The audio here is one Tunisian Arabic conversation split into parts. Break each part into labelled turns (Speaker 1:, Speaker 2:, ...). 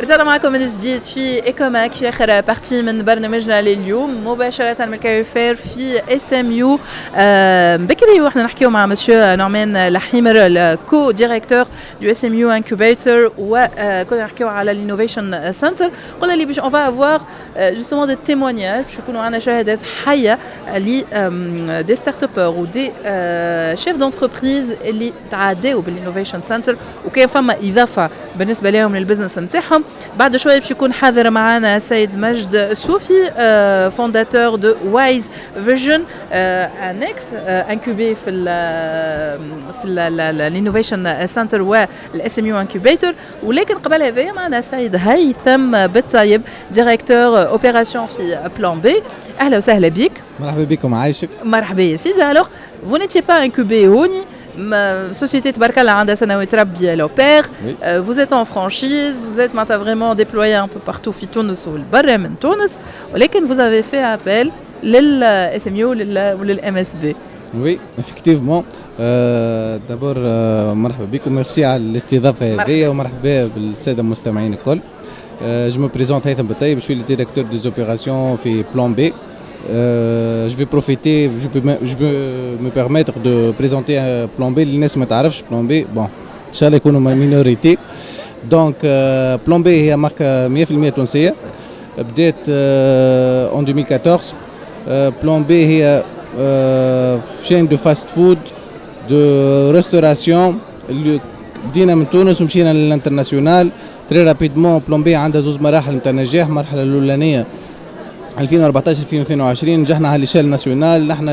Speaker 1: رجعنا معكم من جديد في Ecomag في اخر partie من برنامجنا لليوم، مباشرة من ال Career Fair في SMU. بكري واحنا نحكيو مع مسيو نعمان لحيمر، ال co-directeur du SMU Incubator، وكنا نحكيو على l'innovation center. قلنا لي باش on va avoir justement des témoignages، باش يكونوا عندنا شهادات حيه ل des startuppeurs و des chefs d'entreprise اللي تعداو بال innovation center وكان فما اضافه بالنسبة لهم لل business نتاعهم. بعد شوية باش يكون حاضر معنا السيد مجد صوفي، fondateur de Wise Vision، un ex incubé في l'innovation center وال SMU Incubator. ولكن قبل هذا معنا السيد هيثم بالطيب، directeur opérations في Plan B. اهلا وسهلا بك.
Speaker 2: مرحبا بكم، عايشك.
Speaker 1: مرحبا يا سيدي. alors vous n'étiez pas incubé هوني، société تبارك الله عندها سنوات ربي l'opère. Vous êtes en franchise، vous êtes معناتها vraiment déployé un peu partout في تونس والبرا من تونس، ولكن vous avez fait appel لل SMU ولل MSB.
Speaker 2: oui effectivement، d'abord مرحبا بكم، ميرسي على الاستضافة هذه ومرحبا بالساده المستمعين الكل. je me présente، هيثم بالطيب، je suis le directeur des opérations في Plan B. Je vais profiter، je peux me permettre de présenter Plan B للناس ما تعرفش Plan B. bon، ان شاء الله يكونوا minorité. donc Plan B هي marque 100% تونسيه، بدات en 2014. Plan B هي chaîne de fast-food de restauration اللي بدينا من تونس ومشينا لل international très rapidement. Plan B عندها زوز مراحل نتاع نجاح. المرحلة الاولانية 2014 2022، نجحنا على l'échelle nationale، نحن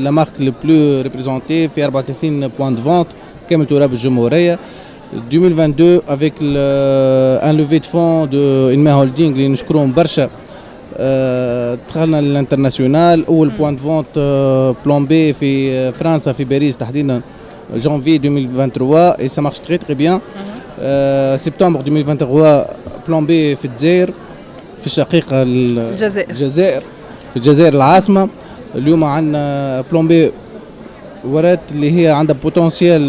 Speaker 2: la marque la plus représentée في 34 points de vente كامل تراب الجمهوريه. 2022 avec un levée de fonds de Inma Holding اللي نشكرهم برشا، دخلنا لل international. اول point de vente Plan B في فرنسا، في باريس تحديدا، جانفي 2023 et ça marche très très bien. سبتمبر 2023 Plan B في الجزائر، في الشقيقة
Speaker 1: الجزائر.
Speaker 2: الجزائر، في الجزائر العاصمة. اليوم عندنا Plan B ورات اللي هي عندها potentiel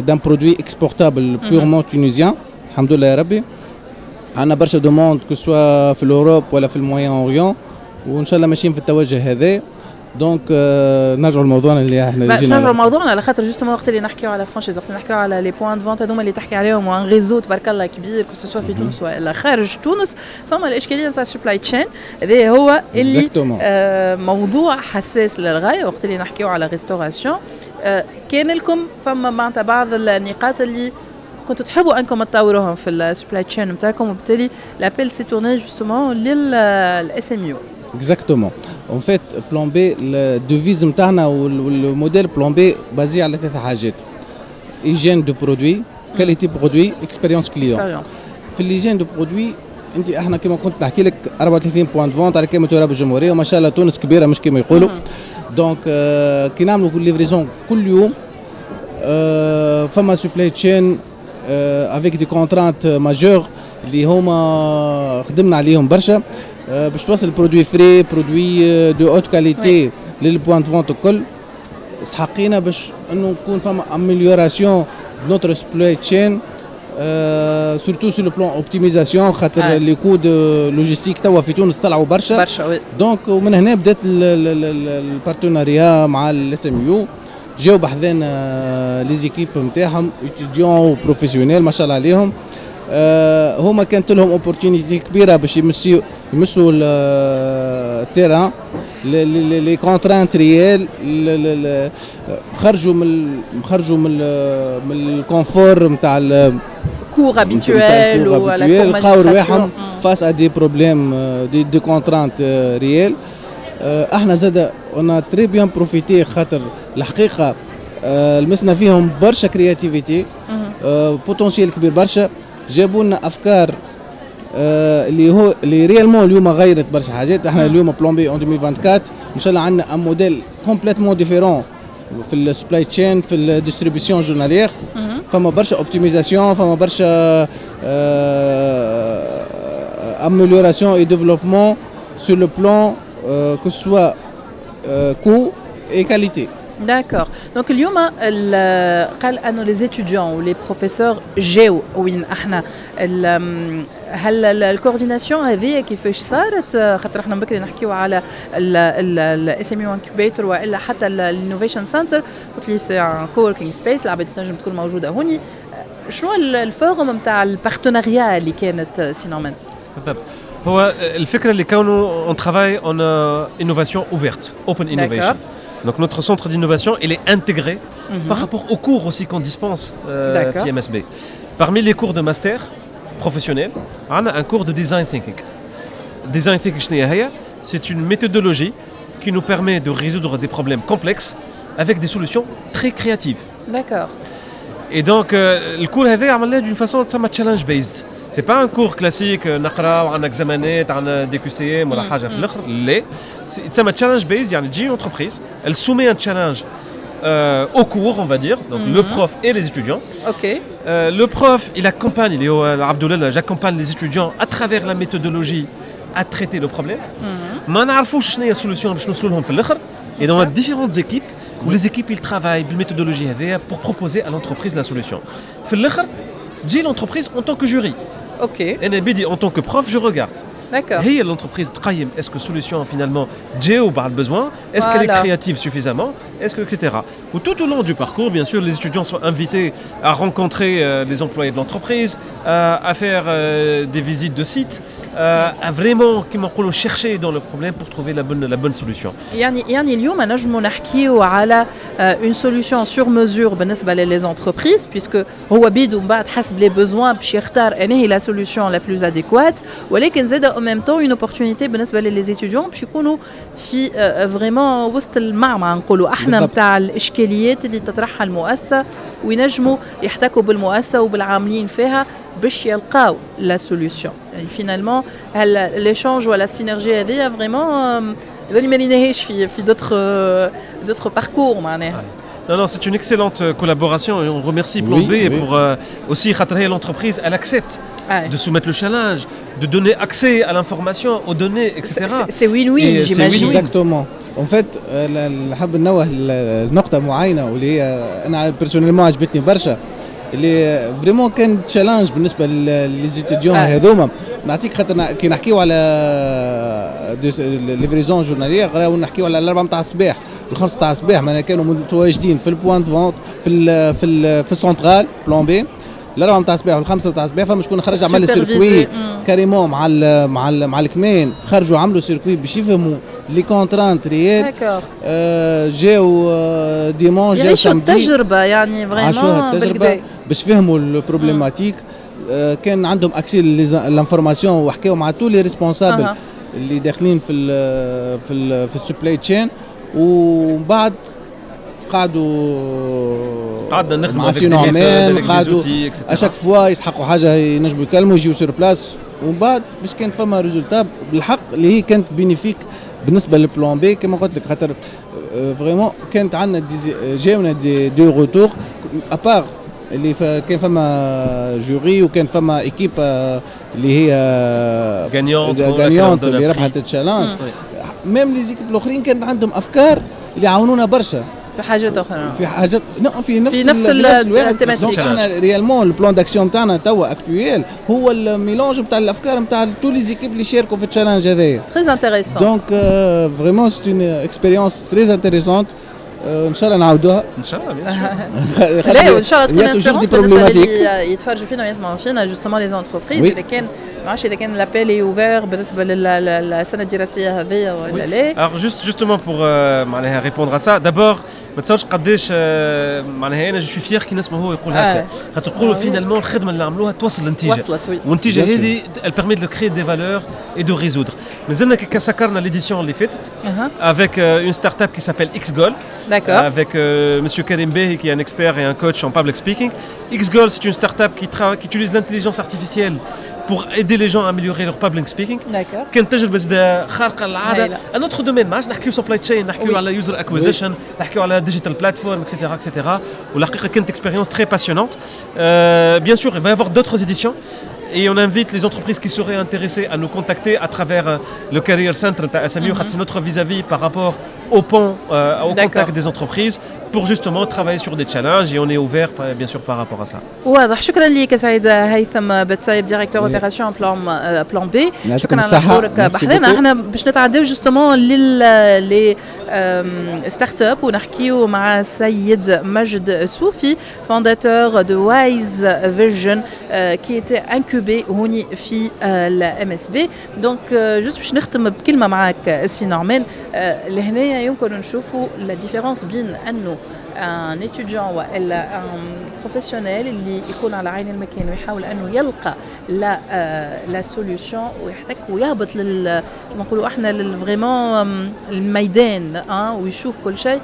Speaker 2: d'un produit exportable purement tunisien. الحمد لله يا ربي، عندنا برشا demandes que ce soit في l'Europe ولا في ال Moyen-Orient، وان شاء الله ماشيين في التوجه هذا. donc نرجعوا لموضوعنا اللي احنا
Speaker 1: جينا نرجعوا لموضوعنا، على خاطر justement وقت اللي نحكيو على franchise، وقت اللي نحكيو على les points de vente هذوما اللي تحكي عليهم و un réseau تبارك الله كبير، que ce soit في تونس ولا خارج تونس، فما الاشكالية نتاع ال supply chain. هذا هو اللي موضوع حساس للغاية وقت اللي نحكيو على restauration. كان لكم فما معناتها بعض النقاط اللي كنتوا تحبوا انكم تطوروهم في ال supply chain نتاعكم، وبالتالي l'appel s'est tourné justement لل SMU.
Speaker 2: exactement. en fait Plan B، ال devise نتاعنا وال modèle Plan B basé على ثلاث حاجات: hygiène de produit، qualité produit، expérience client. في l'hygiène de produit، انت احنا كما كنت نحكي لك 34 points de vente على كامل تراب الجمهوريه، وما شاء الله تونس كبيرة مش كما يقولوا. donc كي نعملوا livraison كل يوم، فما supply chain avec des contraintes majeures اللي هما خدمنا عليهم برشا باش توصل produit frais، produit de haute qualité لل points de vente الكل. سحقينا باش انه نكون فما amélioration notre supply chain، surtout sur le plan optimisation، خاطر les coûts de logistique توا في تونس طلعوا برشا.
Speaker 1: برشا، oui.
Speaker 2: donc ومن هنا بدات ال partenariat مع ال SMU. جاو بحذانا les équipes نتاعهم، étudiants professionnels ما شاء الله عليهم. هما كانت لهم opportunité كبيرة باش يمسوا ال terrain، les contraintes réelles، خرجوا من ال confort نتاع
Speaker 1: cours habituel.
Speaker 2: ولا لقاو رواحهم face à des problèmes، des contraintes réelles. احنا زاد on a très bien profité، خاطر الحقيقة لمسنا فيهم برشا créativité، potentiel كبير برشا. جابوا لنا افكار اللي هو اللي réellement اليوم غيرت برشا حاجات. احنا اليوم Plan B en 2024 ان شاء الله عندنا un modèle complètement différent في ال supply chain، في ال distribution journalière. فما برشا optimisation، فما برشا amélioration et développement sur le plan que ce soit coût et qualité.
Speaker 1: d'accord. Donc اليوم قال انه les étudiants و les professeurs جاو وين احنا، هل ال coordination هذه كيفاش صارت؟ خاطر احنا بكري نحكيو على ال SMU incubator والا حتى ال innovation center، قلت لي c'est un coworking space، العباد تنجم تكون موجودة هوني. شنو ال forme نتاع ال partenariat اللي كانت سي نعمان؟
Speaker 3: بالضبط، هو الفكرة اللي كونه on travaille en innovation ouverte, open innovation. Donc notre centre d'innovation, il est intégré par rapport aux cours aussi qu'on dispense في MSB. Parmi les cours de master professionnel, on a un cours de design thinking. Design thinking شنو هي؟ C'est une méthodologie qui nous permet de résoudre des problèmes complexes avec des solutions très créatives. Et donc le cours هذا عملناه d'une façon تسمى challenge based. C'est pas un cours classique نقرا وعندنا examen ات، عندنا des QCM ولا حاجة في الاخر. لا، تسمى challenge based، يعني تجي entreprise, elle soumet un challenge au cours, on va dire, donc le prof et les étudiants. Le prof, il accompagne, اللي هو عبد j'accompagne les étudiants à travers la méthodologie à traiter le problème. ما نعرفوش شنو هي ال solution باش نوصلوا لهم في الاخر. Et dans différentes équipes, où les équipes ils travaillent بال méthodologie هذيا pour proposer à l'entreprise la solution. في الاخر تجي l'entreprise en tant que jury. انا بيدي en tant que prof, je regarde. هي l'entreprise تقيم est-ce que solution finalement تجاوب على ال besoin, est-ce qu'elle est créative suffisamment, est-ce que etc. و tout au long du parcours, bien sûr, les étudiants sont invités à rencontrer les employés de l'entreprise, à faire des visites de sites, à vraiment كيما نقولوا chercher dans le problème pour trouver la bonne solution.
Speaker 1: يعني اليوم نجموا نحكيو على une solution sur mesure بالنسبة les entreprises, puisque هو بيدو من بعد حسب les besoins باش يختار انا هي la solution la plus adéquate، ولكن زاد en même temps une opportunité بالنسبة les étudiants باش يكونوا في vraiment وسط المعمعة نقولوا احنا نتاع الاشكاليات اللي تطرحها المؤسسه، وينجموا يحتكوا بالمؤسسه وبالعاملين فيها باش يلقاو la solution. يعني finalement l'échange ولا synergie هذه vraiment هذول ما لقيناهاش في d'autres parcours معناها.
Speaker 3: Non, non, c'est une excellente collaboration et on remercie Plan B pour aussi خاطر هي l'entreprise, elle accepte de soumettre le challenge, de donner accès à l'information, aux données, etc.
Speaker 1: C'est win-win, j'imagine.
Speaker 2: Exactement. En fait, نحب نوه لنقطة معينة واللي هي أنا personnellement عجبتني برشا، اللي vraiment كان challenge بالنسبة les étudiants هذوما. نعطيك خاطر كي نحكيو على livraison journalière راهو نحكيو على الاربعة نتاع الصباح، الخمسة نتاع الصباح، معناها كانوا متواجدين في ال point de vente في ال centrale Plan B الاربعة نتاع الصباح والخمسة نتاع الصباح. فما شكون خرج عمل circuit carrément مع الكمين، خرجوا عملوا circuit باش يفهموا les contraintes réelles. جاو dimanche، جاو
Speaker 1: samedi. التجربة يعني
Speaker 2: vraiment عاشوها التجربة باش فهموا ال problématique، كان عندهم accès l'information وحكاو مع tous les responsables اللي داخلين في ال supply chain، ومن بعد قعدوا
Speaker 3: قعدنا نخدموا
Speaker 2: مع سي نعمان، قعدوا à chaque fois يسحقوا حاجة ينجموا يكلموا، يجيو sur place، ومن بعد باش كانت فما résultat بالحق اللي هي كانت bénéfique بالنسبة لل Plan B كما قلت لك، خاطر vraiment كانت عندنا جاونا des retours à part اللي كان فما jury وكان فما équipe اللي هي
Speaker 3: gagnante.
Speaker 2: gagnante اللي ربحت ال challenge، même les équipes الاخرين كانت عندهم افكار اللي عاونونا برشا.
Speaker 1: في حاجات اخرى.
Speaker 2: في حاجات في نفس
Speaker 1: في نفس
Speaker 2: الواحد. donc احنا réellement ال plan d'action تاعنا توا actuel هو ال mélange نتاع الافكار نتاع tous les équipes اللي شاركوا في ال challenge هذايا.
Speaker 1: très intéressant.
Speaker 2: donc vraiment c'est une expérience très intéressante، ان شاء الله نعاودوها.
Speaker 3: ان شاء الله، bien sûr.
Speaker 1: لا، وان شاء الله تكون inspirante بالنسبة اللي يتفرجوا فينا ويسمعوا فينا، justement les entreprises، اذا كان ما عرفتش اذا كان l'appel est ouvert بالنسبة للسنة الدراسية هذه ولا لا.
Speaker 3: Alors justement pour معناها répondre à ça, d'abord ما تصورش قداش معناها انا je suis fier كي نسمع هو يقول هكا، خاطر نقولوا finalement الخدمة اللي عملوها توصل للنتيجه.
Speaker 1: وصلت، oui.
Speaker 3: والنتيجة هذه elle permet de créer des valeurs et de résoudre. مازلنا كي سكرنا l'édition اللي فاتت avec une start-up qui s'appelle XGoal. Avec Monsieur Karim Behi, qui est un expert et un coach en public speaking. XGoal, c'est une start-up qui utilise l'intelligence artificielle pour aider les gens à améliorer leur public speaking. كانت تجربة زادة خارقة للعادة. Un autre domaine، ما عادش نحكيو supply chain، نحكيو على user acquisition، نحكيو على digital platform, etc. etc. والحقيقة كانت expérience très passionnante. Bien sûr, il va y avoir d'autres éditions. Et on invite les entreprises qui seraient intéressées à nous contacter à travers le Career Center de SMU. C'est notre vis-à-vis par rapport au pont, au contact des entreprises pour justement travailler sur des challenges et on est ouvert, bien sûr, par rapport à ça.
Speaker 1: واضح، شكرا لك سيد هيثم بتسايب، directeur opérations Plan B. شكرا على حضورك بحذنا. احنا باش نتعداو justement لل les startups ونحكيو مع السيد مجد صوفي، fondateur de Wise Vision qui était incubé هوني في ال MSB. Donc juste باش نختم بكلمه معاك سي نعمان، لهنايا يمكن نشوفوا la différence بين انه un étudiant والا un professionnel اللي يكون على عين المكان ويحاول انه يلقى la solution ويحتك ويهبط لل كما نقولوا احنا vraiment الميدان ويشوف كل شيء،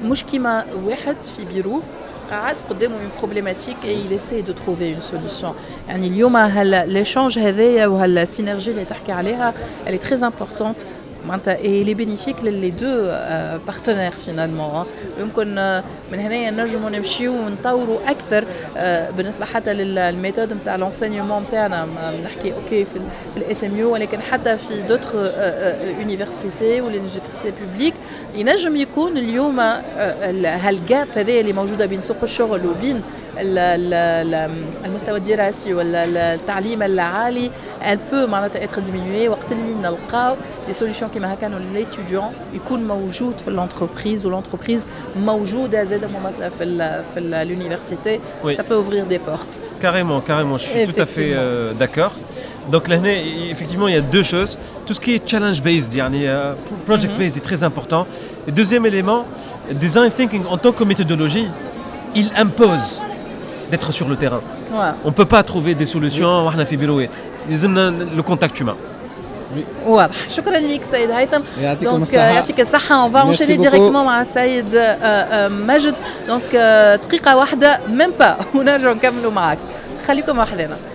Speaker 1: مش كيما واحد في بيرو قاعد قدامه une problématique et il essaie de trouver une solution. يعني اليوم هال l'échange هذايا وهال synergie اللي تحكي عليها, elle est très importante معناتها et elle est bénéfique les deux partenaires finalement. يمكن من هنا نجموا نمشيو ونطوروا اكثر بالنسبه حتى لل méthode نتاع l'enseignement نتاعنا، نحكي OK في ال SMU ولكن حتى في d'autres universités ولا universités publiques. ينجم يكون اليوم هال gap هذا اللي موجوده بين سوق الشغل وبين المستوى الدراسي ولا التعليم العالي, elle peut معناتها être diminuée وقت اللي نلقاو des solutions كيما هكا، انه l'étudiant يكون موجود في l'entreprise و l'entreprise موجوده زاده ممثله في l'université. Ça peut ouvrir des portes.
Speaker 3: Carrément, carrément, je suis tout à fait d'accord. Donc là, effectivement, il y a deux choses. Tout ce qui est challenge based, يعني project based est très important. Et deuxième élément, design thinking en tant que méthodologie, il impose d'être sur le terrain. On ne peut pas trouver des solutions واحنا في بيروات. لازمنا le contact humain.
Speaker 1: واضح، شكرا لك سيد هيثم.
Speaker 2: يعطيكم الصحة.
Speaker 1: يعطيك الصحة. On va enchaîner directement مع السيد مجد، donc دقيقة واحدة, même pas, ونرجع نكملوا معك. خليكم وحدنا.